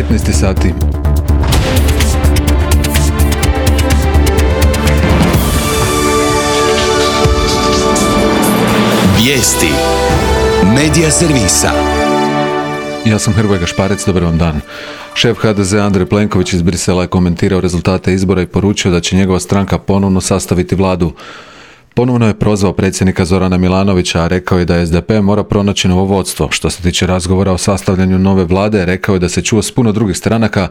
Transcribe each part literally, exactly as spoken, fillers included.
petnaest sati. Vijesti Medija servisa. Ja sam Hrvoje Gašparec, dobar vam dan. Šef ha de zea Andrej Plenković iz Brisela je komentirao rezultate izbora i poručio da će njegova stranka ponovno sastaviti vladu. Ponovno je prozvao predsjednika Zorana Milanovića, a rekao je da es de pe mora pronaći novo vodstvo. Što se tiče razgovora o sastavljanju nove vlade, rekao je da se čuo s puno drugih stranaka,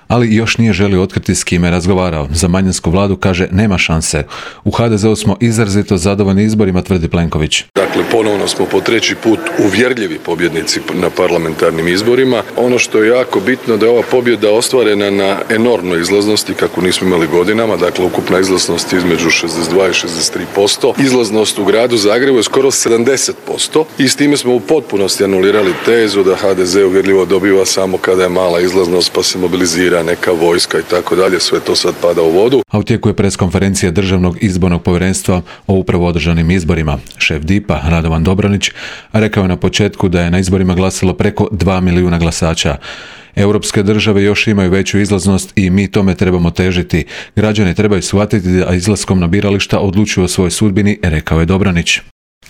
ali još nije želio otkriti s kime je razgovarao. Za manjinsku vladu, kaže, nema šanse. U ha de zeu smo izrazito zadovoljni izborima, tvrdi Plenković. Dakle, ponovno smo po treći put uvjerljivi pobjednici na parlamentarnim izborima. Ono što je jako bitno da je ova pobjeda ostvarena na enormnoj izlaznosti, kako nismo imali godinama. Dakle, ukupna izlaznost između šezdeset dva i šezdeset tri posto. Izlaznost u gradu Zagrebu je skoro sedamdeset posto i s time smo u potpunosti anulirali tezu da ha de ze uvjerljivo dobiva samo kada je mala izlaznost pa se mobilizira neka vojska i tako dalje. Sve to sad pada u vodu. A u tijeku je preskonferencija Državnog izbornog povjerenstva o upravo održanim izborima. Šef dipa Radovan Dobronić rekao je na početku da je na izborima glasalo preko dva milijuna glasača. Europske države još imaju veću izlaznost i mi tome trebamo težiti. Građani trebaju shvatiti da izlaskom na birališta odlučuju o svojoj sudbini, rekao je Dobronić.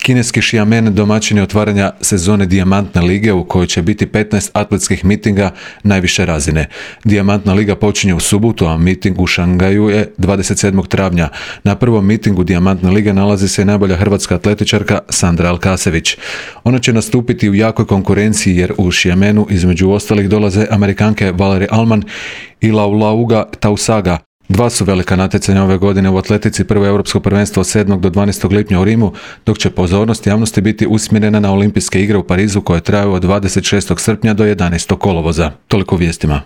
Kineski Xiamen domaćin je otvaranja sezone Dijamantne lige u kojoj će biti petnaest atletskih mitinga najviše razine. Dijamantna liga počinje u subotu, a miting u Šangaju je dvadeset sedmog travnja. Na prvom mitingu Dijamantne lige nalazi se najbolja hrvatska atletičarka Sandra Alkasević. Ona će nastupiti u jakoj konkurenciji jer u Xiamenu između ostalih dolaze Amerikanke Valerie Allman i Laulauga Tausaga. Dva su velika natjecanja ove godine u atletici, prvo europsko prvenstvo od sedmog do dvanaestog lipnja u Rimu, dok će pozornost javnosti biti usmjerena na olimpijske igre u Parizu koje traju od dvadeset šestog srpnja do jedanaestog kolovoza. Toliko u vijestima.